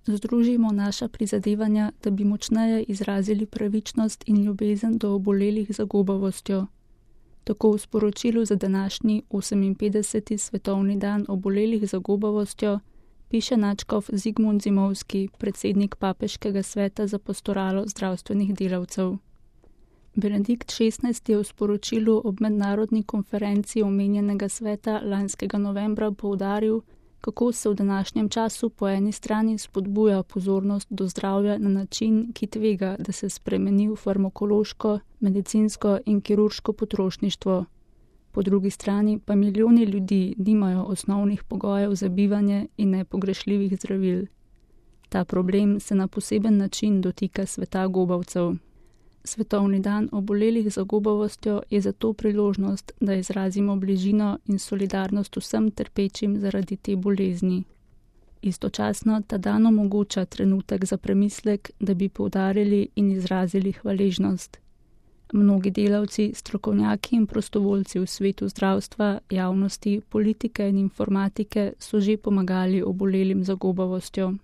združimo naša prizadevanja, da bi močneje izrazili pravičnost in ljubezen do obolelih za gobavostjo. Tako v sporočilu za današnji 58. svetovni dan obolelih za gobavostjo piše nadškof Zigmund Zimovski, predsednik Papeškega sveta za pastoralo zdravstvenih delavcev. Benedikt XVI. Je v sporočilu ob mednarodni konferenci omenjenega sveta lanskega novembra poudaril, kako se v današnjem času po eni strani spodbuja pozornost do zdravja na način, ki tvega, da se spremeni v farmakološko, medicinsko in kirurško potrošništvo. Po drugi strani pa milijoni ljudi nimajo osnovnih pogojev za bivanje in nepogrešljivih zdravil. Ta problem se na poseben način dotika sveta gobavcev. Svetovni dan obolelih za gobavostjo je zato priložnost, da izrazimo bližino in solidarnost vsem trpečim zaradi te bolezni. Istočasno ta dan omogoča trenutek za premislek, da bi poudarili in izrazili hvaležnost. Mnogi delavci, strokovnjaki in prostovoljci v svetu zdravstva, javnosti, politike in informatike so že pomagali obolelim za gobavostjo.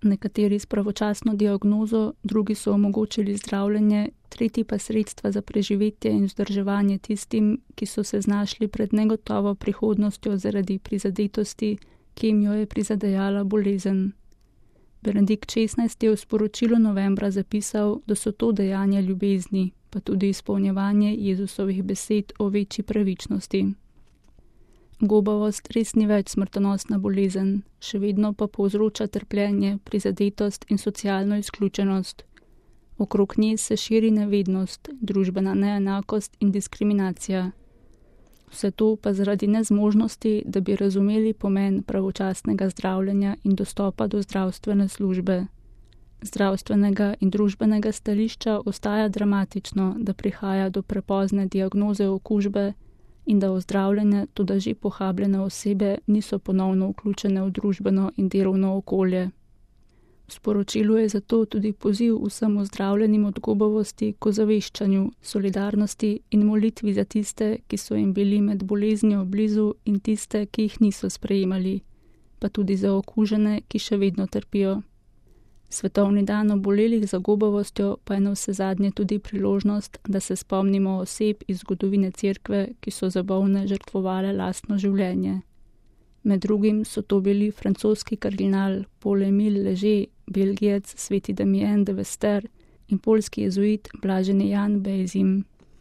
Nekateri s pravočasno diagnozo, drugi so omogočili zdravljenje, tretji pa sredstva za preživetje in vzdrževanje tistim, ki so se znašli pred negotovo prihodnostjo zaradi prizadetosti, ki jim jo je prizadejala bolezen. Benedikt XVI. Je v sporočilu novembra zapisal, da so to dejanja ljubezni, pa tudi izpolnjevanje Jezusovih besed o večji pravičnosti. Gobavost res ni več smrtonosna bolezen, še vedno pa povzroča trpljenje, prizadetost in socialno izključenost. Okrog nje se širi nevednost, družbena neenakost in diskriminacija. Vse to pa zaradi nezmožnosti, da bi razumeli pomen pravočasnega zdravljenja in dostopa do zdravstvene službe. Zdravstvenega in družbenega stališča ostaja dramatično, da prihaja do prepozne diagnoze okužbe in da ozdravljene, tudi že pohabljene osebe niso ponovno vključene v družbeno in delovno okolje. V sporočilu je zato tudi poziv vsem ozdravljenim od gobavosti k ozaveščanju, solidarnosti in molitvi za tiste, ki so jim bili med boleznijo blizu in tiste, ki jih niso sprejemali, pa tudi za okužene, ki še vedno trpijo. Svetovni dan obolelih za gobavostjo pa je navsezadnje tudi priložnost, da se spomnimo oseb iz zgodovine cerkve, ki so za bolne žrtvovale lastno življenje. Med drugim so to bili francoski kardinal Paul-Émile Léger, Belgijec sveti Damien de Vester in poljski jezuit blaženi Jan Bejzim.